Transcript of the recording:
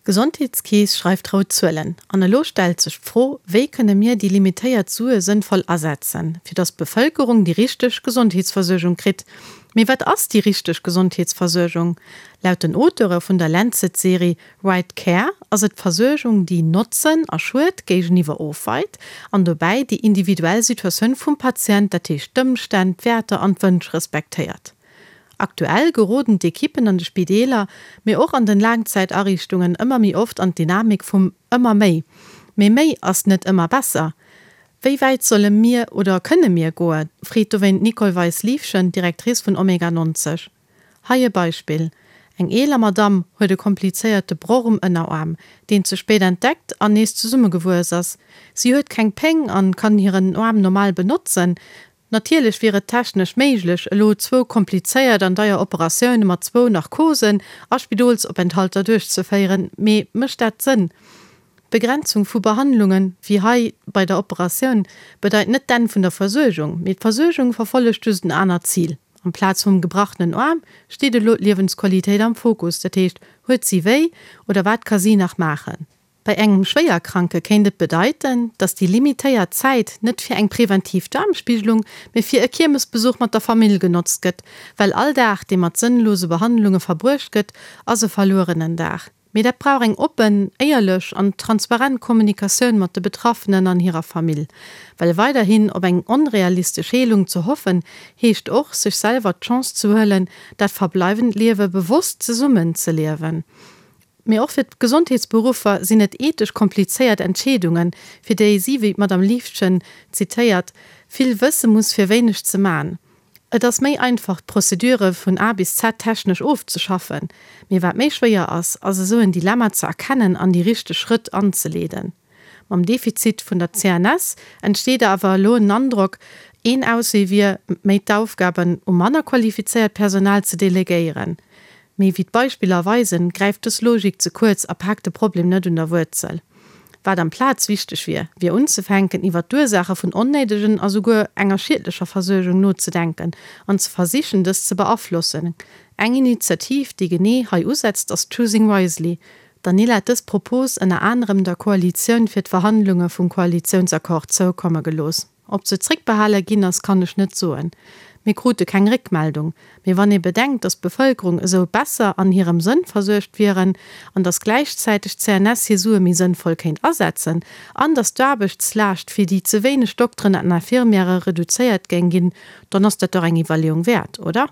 D'Gesondheetskeess schreift rout Zuelen. An elo stellt sech d'Fro, Wéi kënne mir déi limitéiert Sue sënnvoll asetzen, fir datt d'Bevëlkerung déi richteg Gesondheetsversuergung kritt? Mee wat ass déi richteg Gesondheetsversuergung? Laut den Auteure vun der Lancet-Serie Right Care ass et d'Versuergung, déi Notzen a Schued géigeniwwer ofweit an dobäi déi individuell Situatioun vum Patient, dat heescht d'Ëmstänn, d'Wäerter an d'Wënsch respektéiert. Aktuell geroden d'Ekippen an de Spideeler, mee och an den Laangzäitariichtungen ëmmer méi oft an d'Dynamik vum ëmmer méi. Mee méi ass net ëmmer besser. Wéi wäit solle mir oder kënne mir goen, freet dowéint d'Nicole Weis-Liefgen, Directrice vun Omega 90. Hei e Beispill, Eng eeler Madamm huet e komplizéierte Broch um Ënneraarm, deen ze spéit entdeckt an nees zesummegewuess ass. Si huet keng Péng an kann hiren Aarm normal benotzen. Natierlech wier et technesch méiglech, elo zwou komplizéiert an deier Operatioune mat zwou Narkosen a Spidolsopenthalter duerchzeféieren, mee mécht dat Sënn? D'Begrenzung vu Behandlungen, wéi hei bei der Operatioun, bedeit net d'Enn vun der Versuergung, mee d'Versuergung verfollegt just en anert Zil. Amplaz vum gebrachenen Aarm steet elo d'Liewensqualitéit am Fokus, dat heescht, huet si wéi oder wat ka si nach maachen? Bei engem Schwéierkranke kéint et bedeiten, datt déi limitéiert Zäit net fir eng preventiv Daarmspigelung, mee fir e Kiermesbesuch mat der Famill genotzt gëtt, well all Dag, dee mat sënnlose Behandlunge verbruecht gëtt, ass e verluerenen Dag. Mee dat brauch eng oppen, éierlech an transparent Kommunikatioun mat de Betraffenen an hirer Famill. Well weiderhin op eng onrealistesch Heelung ze hoffen, heescht och, sech selwer d'Chance ze huelen, dat verbleiwend Liewe bewosst zesummen ze liewen. Mee och fir d'Gesondheetsberuffer sinn et ethesch komplizéiert Entscheedungen, fir déi si, wéi d'Madame Liefgen zitéiert, vill wësse muss fir wéineg ze man. Et ass méi einfach d'Prozedure vun A bis Z technesch ofzeschaffen, mee wat méi schwéier ass, ass esou en Dilemma ze erkennen an déi richteg Schrëtt anzeleeden. Mam Defizit vun der CNS entsteet awer elo en Androck, een Auswee wier, méi d'Aufgaben u manner qualifizéiert Personal ze delegéieren. Mee wéi d'Beispiller weisen, gräift dës Logik ze kuerz a paakt de Problem net un der Wuerzel. Wat amplaz wichteg wier, wier unzefänken, iwwer d'Ursaache vun onnéidegen a souguer enger schiedlecher Versuergung nozedenken an ze versichen, dës ze beaflossen. Eng Initiativ, déi genee hei usetzt, ass Choosing Wisely. D'Anila huet dës Propos ënner anerem der Koalitioun fir d'Verhandlunge vum Koalitiounsaccord zoukomme gelooss. Ob se zréckbehale ginn ass, kann ech net soen. Mir krute keng Réckmeldung. Mee wann ee bedenkt, datt d'Bevëlkerung esou besser an hirem Sënn versuergt wieren an datt gläichzäiteg d'CNS hir Sue méi sënnvoll kéint asetzen an datt d'Aarbechtslaascht fir déi ze wéineg Dokteren an Infirmièrë reduzéiert géing ginn, dann ass dat dach eng Iwwerleeung wäert, oder?